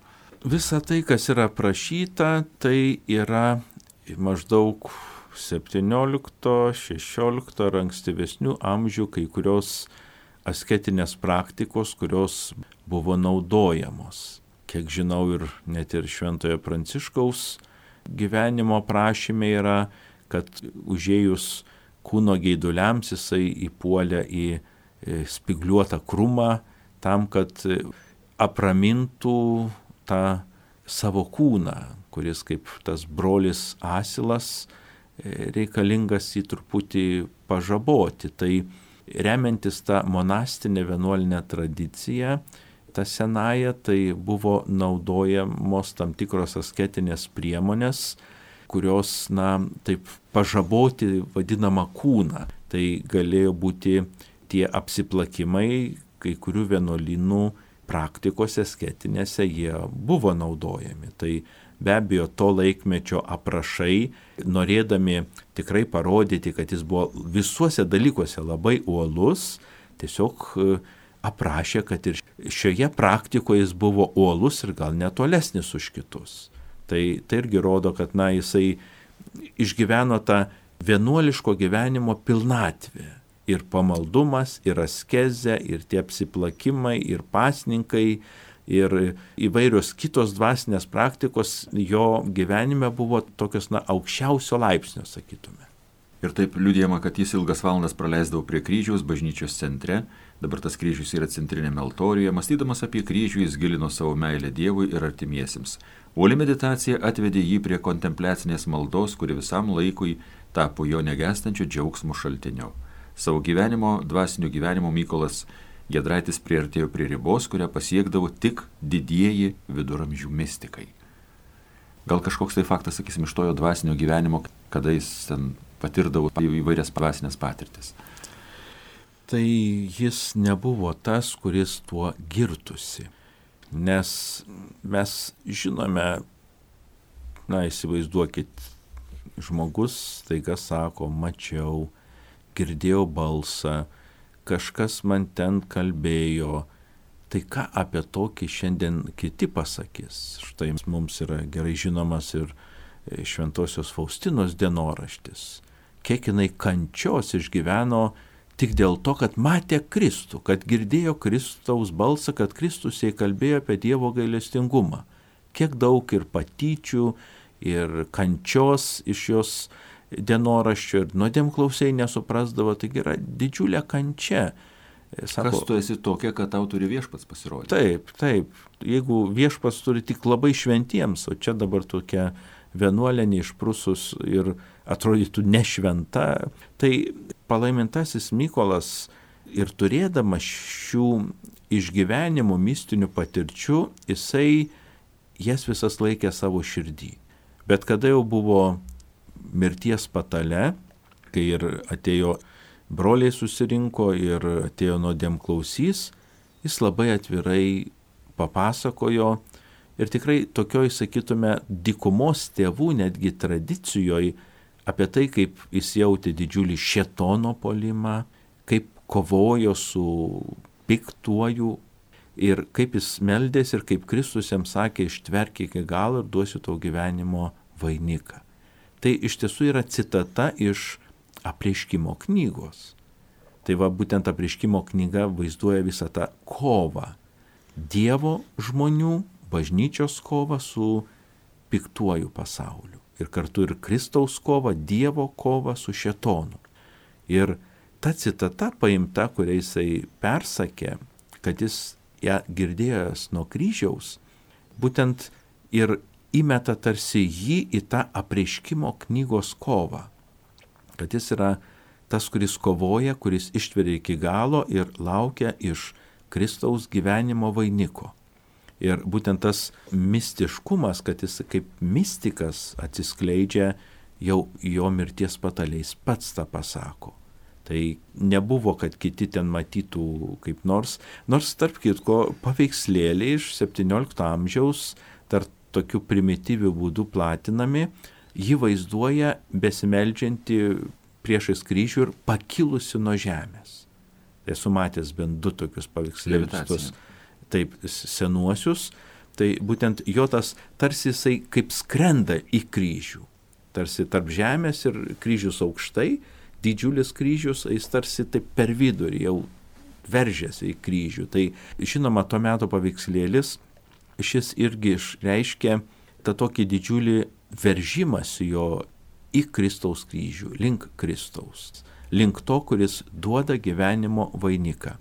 Visa tai, kas yra aprašyta, tai yra maždaug 17, 16 ar ankstyvesnių amžių kai kurios asketinės praktikos, kurios buvo naudojamos. Kiek žinau, ir net ir Šventojo Pranciškaus gyvenimo prašyme yra, kad užėjus kūno geiduliams jisai įpuolė į spigliuotą krūmą tam, kad apramintų tą savo kūną, kuris kaip tas brolis asilas reikalingas jį truputį pažaboti. Tai remiantis tą monastinę vienuolinę tradiciją, ta senaja, tai buvo naudojamos tam tikros asketinės priemonės, kurios, taip pažaboti vadinamą kūną. Tai galėjo būti tie apsiplakimai, kai kurių vienuolynų praktikose asketinėse jie buvo naudojami. Tai be abejo to laikmečio aprašai, norėdami tikrai parodyti, kad jis buvo visuose dalykuose labai uolus, tiesiog aprašė, kad ir šioje praktikoje jis buvo uolus ir gal net tolesnis už kitus. Tai irgi rodo, kad jisai išgyveno tą vienuoliško gyvenimo pilnatvę. Ir pamaldumas, ir askezė, ir tie apsiplakimai, ir pasninkai, ir įvairios kitos dvasinės praktikos jo gyvenime buvo tokios aukščiausio laipsnio, sakytume. Ir taip liudijama, kad jis ilgas valandas praleisdavo prie kryžiaus bažnyčios centre, dabar tas kryžius yra centrinėme altorijoje, mąstydamas apie kryžių jis gilino savo meilę Dievui ir artimiesiems. Uoli meditacija atvedė jį prie kontempliacinės maldos, kuri visam laikui tapo jo negestančio džiaugsmo šaltiniu. Savo dvasinio gyvenimo Mykolas Giedraitis priartėjo prie ribos, kurią pasiekdavo tik didieji viduramžių mistikai. Gal kažkoks tai faktas, sakysim, iš to jo dvasinio gyvenimo, kada jis ten patirdavo įvairias dvasinės patirtis. Tai jis nebuvo tas, kuris tuo girtusi. Nes mes žinome, įsivaizduokit, žmogus staiga sako, mačiau, girdėjau balsą, kažkas man ten kalbėjo. Tai ką apie tokį šiandien kiti pasakys? Štai mums yra gerai žinomas ir Šventosios Faustinos dienoraštis. Kiek jinai kančios išgyveno tik dėl to, kad matė Kristų, kad girdėjo Kristaus balsą, kad Kristus jai kalbėjo apie Dievo gailestingumą. Kiek daug ir patyčių, ir kančios iš jos dienoraščio, ir nuodėmklausiai nesuprasdavo, taigi yra didžiulė kančia. Sako, kas tu esi tokia, kad tau turi viešpats pasirodyti? Taip. Jeigu viešpats turi tik labai šventiems, o čia dabar tokia vienuolė neišprusus ir atrodytų nešventa. Tai palaimintasis Mykolas ir turėdamas šių išgyvenimų mistinių patirčių, jisai jas visas laikė savo širdį. Bet kada jau buvo mirties patale, kai ir atėjo broliai susirinko ir atėjo nuodėmklausys, jis labai atvirai papasakojo ir tikrai tokioj, sakytume, dykumos tėvų netgi tradicijoje apie tai, kaip jis jautė didžiulį šėtono puolimą, kaip kovojo su piktuoju ir kaip jis meldėsi ir kaip Kristus jam sakė, ištverk iki galo ir duosiu tau gyvenimo vainiką. Tai iš tiesų yra citata iš Apreiškimo knygos. Tai va būtent Apreiškimo knyga vaizduoja visą tą kovą. Dievo žmonių, bažnyčios kovą su piktuoju pasauliu. Ir kartu ir Kristaus kovą, Dievo kovą su šėtonu. Ir ta citata paimta, kurią jisai persakė, kad jis ją girdėjęs nuo kryžiaus, būtent ir įmeta tarsi jį į tą Apreiškimo knygos kovą. Kad jis yra tas, kuris kovoja, kuris ištveria iki galo ir laukia iš Kristaus gyvenimo vainiko. Ir būtent tas mistiškumas, kad jis kaip mistikas atsiskleidžia jau jo mirties pataliais, pats tą pasako. Tai nebuvo, kad kiti ten matytų kaip nors tarp kitko paveikslėliai iš 17 amžiaus dar tokiu primityviu būdu platinami, jį vaizduoja besimeldžiantį priešais kryžių ir pakilusi nuo žemės. Tai esu matęs bent 2 tokius paveikslėlius, taip senuosius, tai būtent jo tas tarsi jisai kaip skrenda į kryžių, tarsi tarp žemės ir kryžius aukštai, didžiulis kryžius, jis tarsi taip per vidurį jau veržėsi į kryžių. Tai žinoma, to meto paveikslėlis, šis irgi išreiškia tą tokį didžiulį veržimąsi jo į Kristaus kryžių, link Kristaus, link to, kuris duoda gyvenimo vainiką.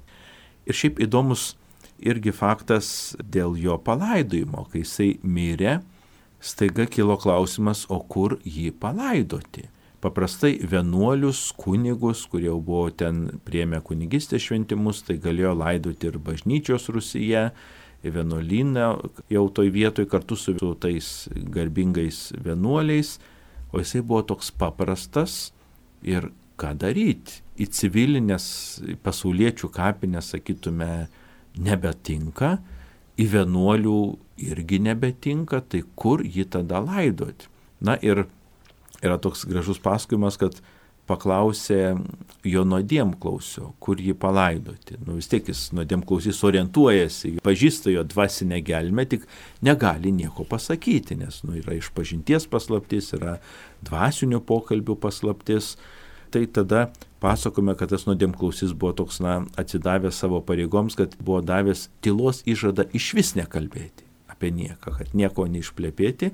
Ir šiaip įdomus irgi faktas dėl jo palaidojimo, kai jisai mirė, staiga kilo klausimas, o kur jį palaidoti. Paprastai vienuolius, kunigus, kurie jau buvo ten priėmę kunigystės šventimus, tai galėjo laidoti ir bažnyčios rūsyje, vienuolyną jau toj vietoj kartu su tais garbingais vienuoliais, o jisai buvo toks paprastas ir ką daryti. Į civilinės pasauliečių kapinės, sakytume, nebetinka, į vienuolių irgi nebetinka, tai kur jį tada laidoti? Na ir yra toks gražus pasakojimas, kad paklausė jo nuodėmklausio, kur jį palaidoti. Vis tiek jis nuodėmklausys orientuojasi, pažįsta jo dvasinę gelmę, tik negali nieko pasakyti, nes yra išpažinties paslaptis, yra dvasinių pokalbių paslaptis. Tai tada pasakome, kad tas nuodėmklausys buvo toks, atsidavęs savo pareigoms, kad buvo davęs tylos įžadą išvis nekalbėti apie nieką, kad nieko neišplepėti,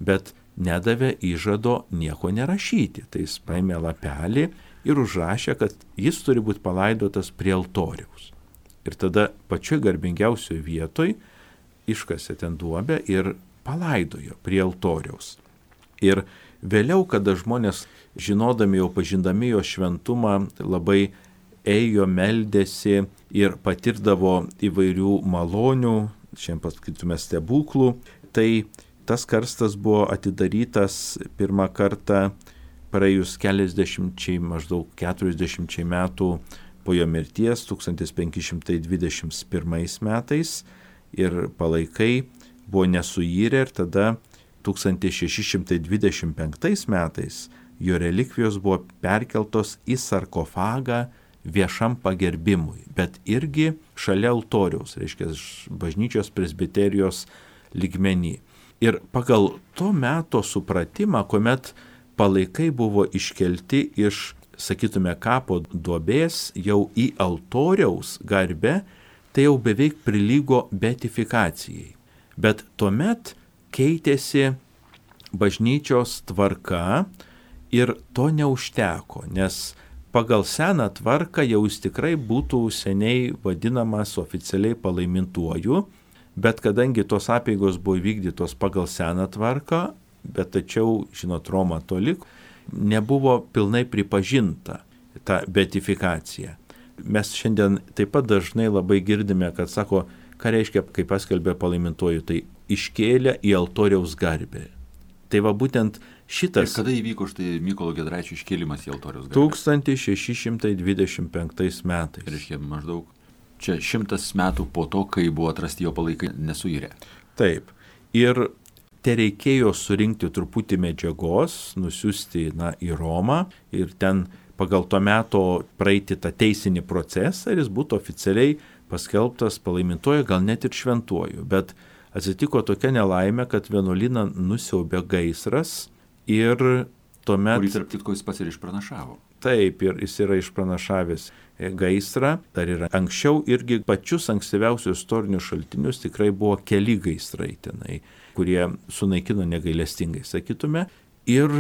bet nedavė įžado nieko nerašyti. Tai jis paėmė lapelį ir užrašė, kad jis turi būti palaidotas prie altoriaus. Ir tada pačioj garbingiausioje vietoj iškasė ten duobę ir palaidojo prie altoriaus. Ir vėliau, kada žmonės, žinodami jau pažindami jo šventumą, labai ėjo, meldėsi ir patirdavo įvairių malonių, šiandien pasakytume stebuklų, tai tas karstas buvo atidarytas pirmą kartą praėjus maždaug 40 metų po jo mirties 1521 metais ir palaikai buvo nesuirę ir tada 1625 metais jo relikvijos buvo perkeltos į sarkofagą viešam pagerbimui, bet irgi šalia altoriaus, reiškia bažnyčios presbiterijos lygmenį. Ir pagal to meto supratimą, kuomet palaikai buvo iškelti iš, sakytume, kapo duobės jau į altoriaus garbę, tai jau beveik prilygo beatifikacijai. Bet tuomet keitėsi bažnyčios tvarka ir to neužteko, nes pagal seną tvarką jau jis tikrai būtų seniai vadinamas oficialiai palaimintuoju, bet kadangi tos apeigos buvo vykdytos pagal seną tvarką, bet tačiau, žinot, Roma toli, nebuvo pilnai pripažinta ta beatifikacija. Mes šiandien taip pat dažnai labai girdime, kad sako, ką reiškia, kai paskelbė palaimintuoju, tai iškėlė į altoriaus garbę. Tai va būtent šitas... Ir kada įvyko štai Mykolo Giedraičio iškėlimas į altoriaus garbę? 1625 metais. Reiškia maždaug čia 100 metų po to, kai buvo atrasti jo palaikai nesuirę. Taip. Ir te reikėjo surinkti truputį medžiagos, nusiųsti į Romą ir ten pagal to meto praeiti tą teisinį procesą ir jis būtų oficialiai paskelbtas palaimintuoju, gal net ir šventuoju. Bet atsitiko tokia nelaimė, kad vienuolyną nusiaubė gaisras ir tuomet... Kurį tarp kitko jis pats ir išpranašavo. Taip, ir jis yra išpranašavęs gaisrą. Dar yra anksčiau irgi pačius ankstyviausius istorinius šaltinius tikrai buvo keli gaisrai tenai, kurie sunaikino negailestingai, sakytume. Ir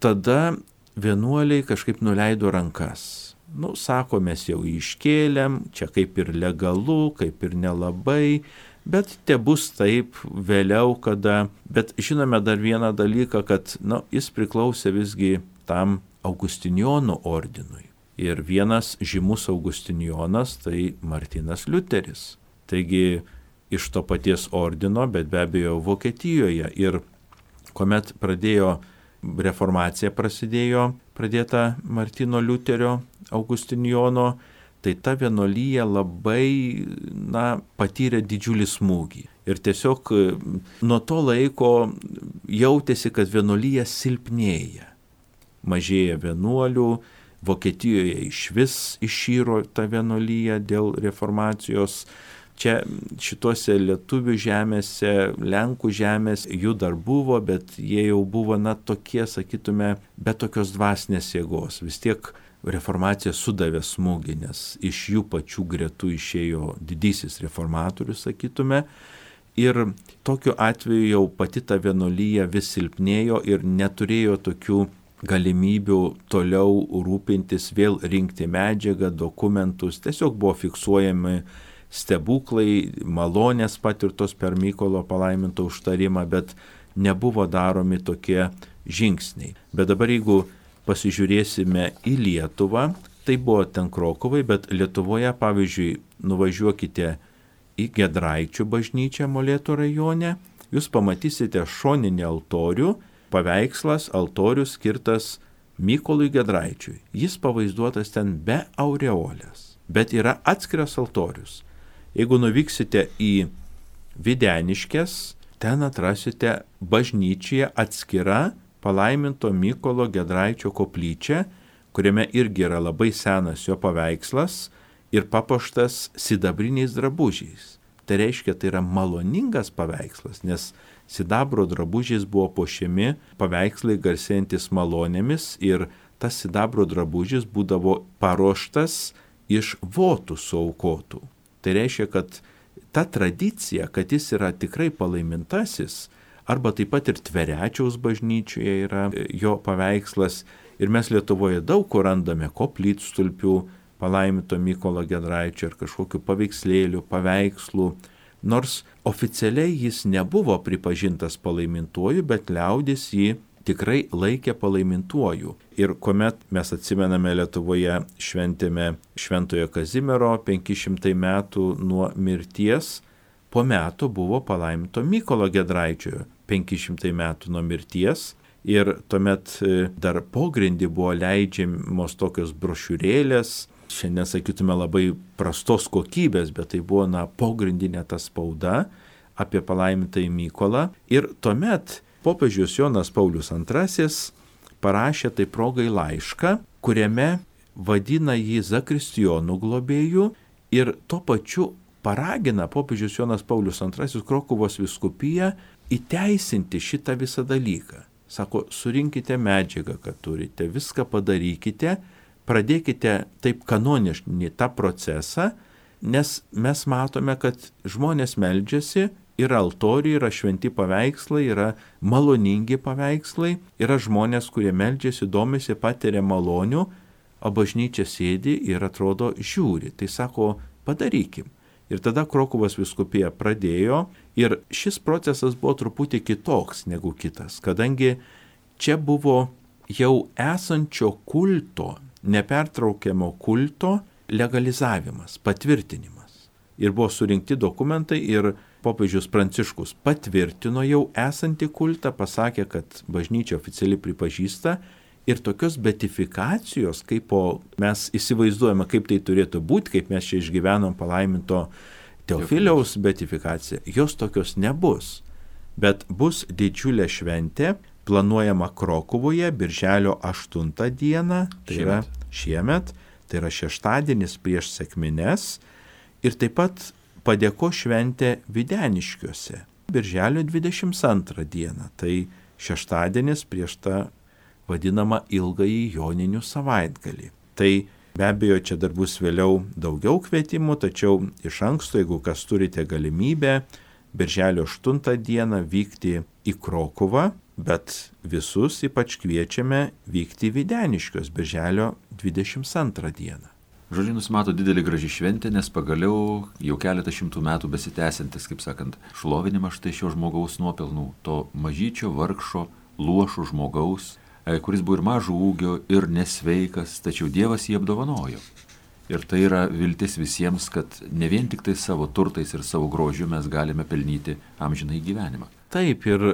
tada vienuoliai kažkaip nuleido rankas. Sako, mes jau iškėlėm, čia kaip ir legalu, kaip ir nelabai, bet te bus taip vėliau, kada... Bet žinome dar vieną dalyką, kad jis priklausė visgi tam Augustinijonų ordinui. Ir vienas žymus Augustinijonas tai Martynas Liuteris. Taigi iš to paties ordino, bet be abejo Vokietijoje. Ir kuomet reformacija pradėta Martyno Liuterio Augustinijono, tai ta vienuolyja labai patyrė didžiulį smūgį. Ir tiesiog nuo to laiko jautėsi, kad vienuolyja silpnėja. Mažėja vienuolių, Vokietijoje išvis išyro ta vienuolyja dėl reformacijos. Čia šituose lietuvių žemėse, lenkų žemės jų dar buvo, bet jie jau buvo tokie, sakytume, be tokios dvasinės jėgos. Vis tiek reformacija sudavė smūgį, nes iš jų pačių gretų išėjo didysis reformatorius, sakytume. Ir tokiu atveju jau pati ta vienuolyja vis silpnėjo ir neturėjo tokių galimybių toliau rūpintis, vėl rinkti medžiagą, dokumentus. Tiesiog buvo fiksuojami stebuklai, malonės patirtos per Mykolo palaiminto užtarimą, bet nebuvo daromi tokie žingsniai. Bet dabar jeigu pasižiūrėsime į Lietuvą, tai buvo ten Krokuvai, bet Lietuvoje, pavyzdžiui, nuvažiuokite į Giedraičių bažnyčią Molėtų rajone, jūs pamatysite šoninį altorių, paveikslas, altorius skirtas Mykolui Giedraičiui. Jis pavaizduotas ten be aureolės, bet yra atskiras altorius. Jeigu nuvyksite į Videniškes, ten atrasite bažnyčioje atskira palaiminto Mykolo Giedraičio koplyčia, kuriame irgi yra labai senas jo paveikslas ir papuoštas sidabriniais drabužiais. Tai reiškia, tai yra maloningas paveikslas, nes sidabro drabužiais buvo puošiami paveikslai garsėjantis malonėmis ir tas sidabro drabužis būdavo paruoštas iš votų suaukotų. Tai reiškia, kad ta tradicija, kad jis yra tikrai palaimintasis, arba taip pat ir Tverečiaus bažnyčioje yra jo paveikslas ir mes Lietuvoje daug kur randame koplytstulpių palaiminto Mykolo Giedraičio ir kažkokių paveikslėlių, paveikslų. Nors oficialiai jis nebuvo pripažintas palaimintuoju, bet liaudis jį tikrai laikė palaimintuoju. Ir kuomet mes atsimename Lietuvoje šventėme Šventojo Kazimiero 500 metų nuo mirties, po metų buvo palaiminto Mykolo Giedraičio 500 metų nuo mirties. Ir tuomet dar pogrindį buvo leidžiamos tokios brošiūrėlės, šiandien sakytume labai prastos kokybės, bet tai buvo pogrindinė ta spauda apie palaimintąjį Mykolą. Ir tuomet popiežius Jonas Paulius II parašė tai progai laišką, kuriame vadina jį zakristijonų globėju ir tuo pačiu paragina popiežius Jonas Paulius II Krokuvos vyskupiją įteisinti šitą visą dalyką. Sako, surinkite medžiagą, kad turite, viską padarykite, pradėkite taip kanoniškai tą procesą, nes mes matome, kad žmonės meldžiasi, yra altoriai, yra šventi paveikslai, yra maloningi paveikslai, yra žmonės, kurie meldžiasi, domisi, patiria malonių, o bažnyčia sėdi ir atrodo žiūri. Tai sako, padarykim. Ir tada Krokuvos vyskupija pradėjo ir šis procesas buvo truputį kitoks negu kitas, kadangi čia buvo jau esančio kulto, nepertraukiamo kulto legalizavimas, patvirtinimas. Ir buvo surinkti dokumentai ir popiežius Pranciškus patvirtino jau esantį kultą, pasakė, kad bažnyčia oficialiai pripažįsta ir tokios beatifikacijos, kaip mes įsivaizduojame, kaip tai turėtų būti, kaip mes čia išgyvenom palaiminto Teofiliaus beatifikaciją, jos tokios nebus. Bet bus didžiulė šventė, planuojama Krokuvoje, birželio 8 dieną, tai yra šiemet, tai yra šeštadienis prieš sekmines, ir taip pat padėko šventė Videniškiuose, birželio 22 dieną, tai šeštadienis prieš tą vadinamą ilgąjį joninių savaitgalį. Tai be abejo, čia dar bus vėliau daugiau kvietimų, tačiau iš anksto, jeigu kas turite galimybę, birželio 8 dieną vykti į Krokuvą, bet visus ypač kviečiame vykti į Videniškius birželio 22 dieną. Žodžiu, nusimato didelį graži šventė, nes pagaliau jau keletą šimtų metų besitęsiantis, kaip sakant, šlovinimas štai šio žmogaus nuopelnų, to mažyčio vargšo, luošo žmogaus, kuris buvo ir mažo ūgio, ir nesveikas, tačiau Dievas jį apdovanojo. Ir tai yra viltis visiems, kad ne vien tik tai savo turtais ir savo grožiu mes galime pelnyti amžinai gyvenimą. Taip, ir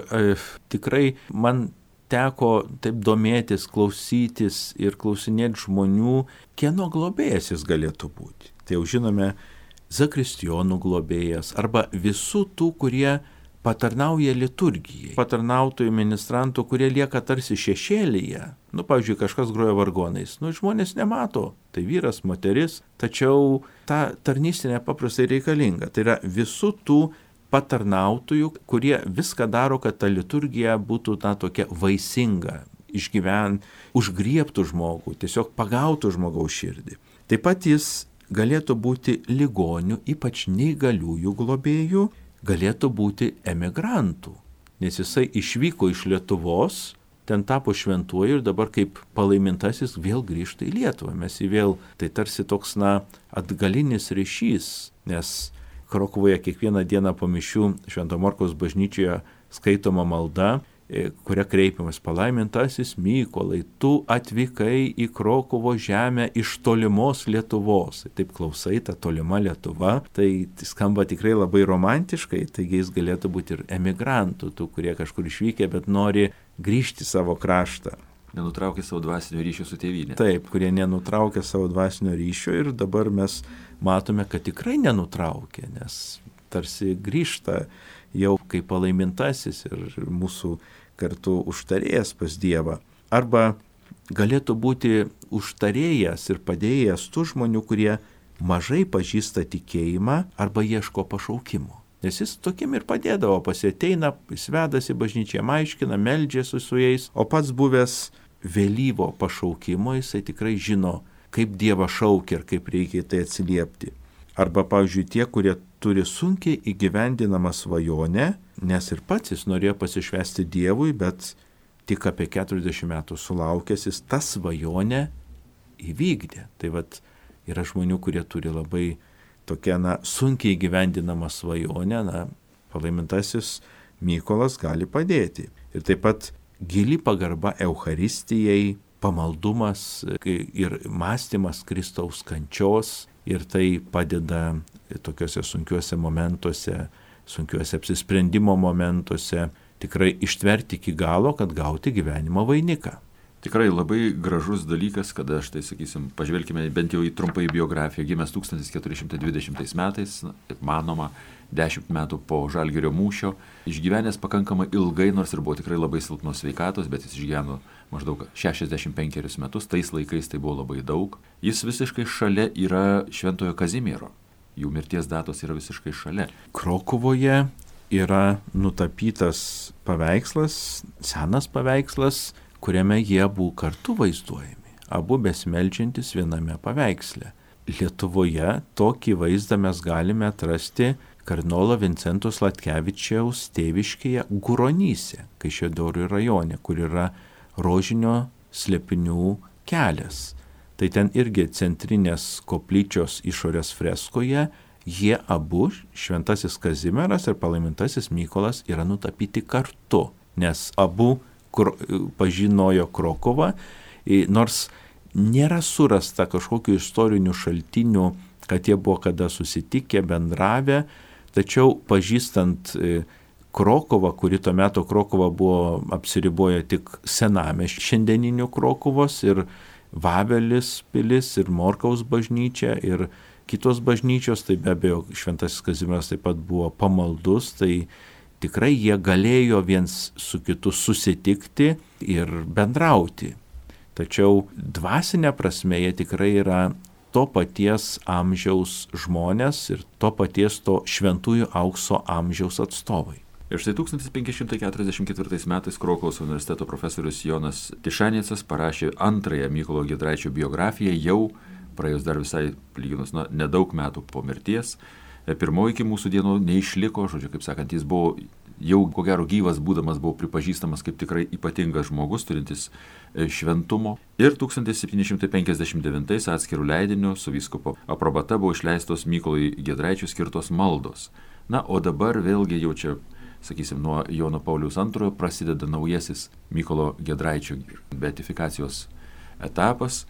tikrai man teko taip domėtis, klausytis ir klausinėti žmonių, kieno globėjas jis galėtų būti. Tai jau žinome, zakristijonų globėjas arba visų tų, kurie patarnauja liturgijai, patarnautojų, ministrantų, kurie lieka tarsi šešėlyje. Pavyzdžiui, kažkas groja vargonais. Žmonės nemato, tai vyras, moteris, tačiau ta tarnystė nepaprastai reikalinga. Tai yra visų tų patarnautojų, kurie viską daro, kad ta liturgija būtų tokia vaisinga, užgriebtų žmogų, tiesiog pagautų žmogaus širdį. Taip pat jis galėtų būti ligonių, ypač neįgaliųjų globėjų, galėtų būti emigrantų, nes jisai išvyko iš Lietuvos, ten tapo šventuoju ir dabar kaip palaimintasis vėl grįžta į Lietuvą. Mes jį vėl, tai tarsi toks atgalinis ryšys, nes Krokuvoje kiekvieną dieną po mišių Švento Morkaus bažnyčioje skaitoma malda, kuria kreipiamas: palaimintasis Mykolai, tu atvykai į Krokuvo žemę iš tolimos Lietuvos. Taip klausai, ta tolima Lietuva, tai skamba tikrai labai romantiškai, taigi jis galėtų būti ir emigrantų, tų, kurie kažkur išvykę, bet nori grįžti į savo kraštą. Nenutraukė savo dvasinio ryšio su tėvynė. Taip, kurie nenutraukė savo dvasinio ryšio ir dabar mes matome, kad tikrai nenutraukė, nes tarsi grįžta jau kaip palaimintasis ir mūsų kartu užtarėjas pas Dievą. Arba galėtų būti užtarėjas ir padėjėjas tų žmonių, kurie mažai pažįsta tikėjimą arba ieško pašaukimo. Nes jis tokiem ir padėdavo, pasieteina, jis vedasi bažnyčią, aiškina, meldžiasi su jais, o pats buvęs vėlyvo pašaukimo, jisai tikrai žino, kaip Dievą šaukia ir kaip reikia tai atsiliepti. Arba, pavyzdžiui, tie, kurie turi sunkiai įgyvendinamą svajonę, nes ir pats jis norėjo pasišvęsti Dievui, bet tik apie 40 metų sulaukęs jis tą svajonę įvykdė. Tai yra žmonių, kurie turi labai tokią sunkiai įgyvendinamą svajonę, palaimintasis Mykolas gali padėti. Ir taip pat gili pagarba Eucharistijai, pamaldumas ir mąstymas Kristaus kančios, ir tai padeda tokiuose sunkiuose momentuose, sunkiuose apsisprendimo momentuose tikrai ištverti iki galo, kad gauti gyvenimo vainiką. Tikrai labai gražus dalykas, kada štai, sakysim, pažvelkime bent jau į trumpai biografiją. Gimęs 1420 metais, manoma, 10 metų po Žalgirio mūšio, išgyvenęs pakankamai ilgai, nors ir buvo tikrai labai silpnos sveikatos, bet jis išgyveno maždaug 65 metus, tais laikais tai buvo labai daug. Jis visiškai šalia yra Šventojo Kazimiero, jų mirties datos yra visiškai šalia. Krokuvoje yra nutapytas paveikslas, senas paveikslas, kuriame jie abu kartu vaizduojami, abu besimeldžiantis viename paveiksle. Lietuvoje tokį vaizdą mes galime atrasti kardinolo Vincento Sladkevičiaus tėviškėje Guronyse, Kaišiadorių rajone, kur yra rožinio slėpinių kelias. Tai ten irgi centrinės koplyčios išorės freskoje jie abu, Šventasis Kazimieras ir palaimintasis Mykolas, yra nutapyti kartu, nes abu pažinojo Krokuvą, nors nėra surasta kažkokių istorinių šaltinių, kad jie buvo kada susitikę, bendravę, tačiau pažįstant Krokuvą, kuri tuo metu Krokuva buvo apsiriboję tik senamiesčiu šiandieniniu Krokuvos, ir Vavelis pilis, ir Morkaus bažnyčia, ir kitos bažnyčios, tai be abejo Šventasis Kazimieras taip pat buvo pamaldus, tai tikrai jie galėjo viens su kitu susitikti ir bendrauti. Tačiau dvasinė prasme jie tikrai yra to paties amžiaus žmonės ir to paties to šventųjų aukso amžiaus atstovai. Ir štai 1544 metais Krokuvos universiteto profesorius Jonas Tišanecas parašė antrąją Mykolo Giedraičio biografiją, jau praėjus dar visai lyginus nedaug metų po mirties. Pirmoji iki mūsų dienų neišliko, žodžiu, kaip sakant, jis buvo jau ko gero gyvas būdamas, buvo pripažįstamas kaip tikrai ypatingas žmogus, turintis šventumo. Ir 1759 atskirų leidinių su vyskupo aprobata buvo išleistos Mykolui Giedraičiui skirtos maldos. Na, o dabar vėlgi jau čia, sakysim, nuo Jono Pauliaus II prasideda naujasis Mykolo Giedraičio beatifikacijos etapas.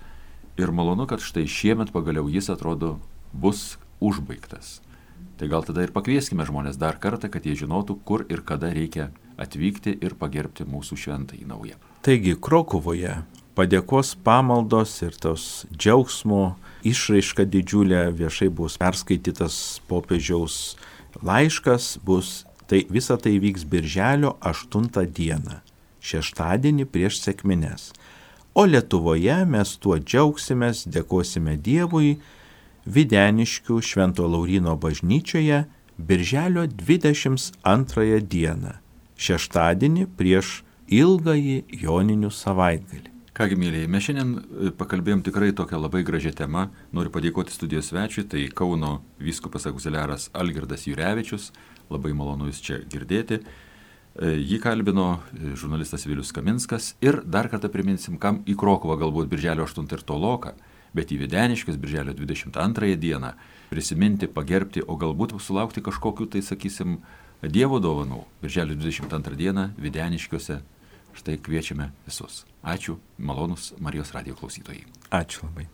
Ir malonu, kad štai šiemet pagaliau jis, atrodo, bus užbaigtas. Tai gal tada ir pakvieskime žmonės dar kartą, kad jie žinotų, kur ir kada reikia atvykti ir pagerbti mūsų šventąjį naują. Taigi Krokuvoje padėkos pamaldos ir tos džiaugsmo išraiška didžiulė, viešai bus perskaitytas popiežiaus laiškas, tai visa tai vyks birželio 8 dieną, šeštadienį prieš sekmines. O Lietuvoje mes tuo džiaugsimės, dėkosime Dievui Videniškių Švento Lauryno bažnyčioje birželio 22 dieną, šeštadienį prieš ilgąjį joninių savaitgalį. Kągi, mėlyje, mes šiandien pakalbėjom tikrai tokią labai gražią temą. Noriu padėkoti studijos svečiui, tai Kauno vyskupas auxiliaras Algirdas Jurevičius. Labai malonu jūs čia girdėti. Jį kalbino žurnalistas Vilius Kaminskas. Ir dar kartą priminsim, kam į Krokuvą galbūt birželio 8 ir toloka, bet į Videniškius birželio 22 dieną prisiminti, pagerbti, o galbūt sulaukti kažkokių, tai sakysim, Dievo dovanų. Birželio 22 dieną Videniškiuose. Štai kviečiame visus. Ačiū, malonus Marijos radijo klausytojai. Ačiū labai.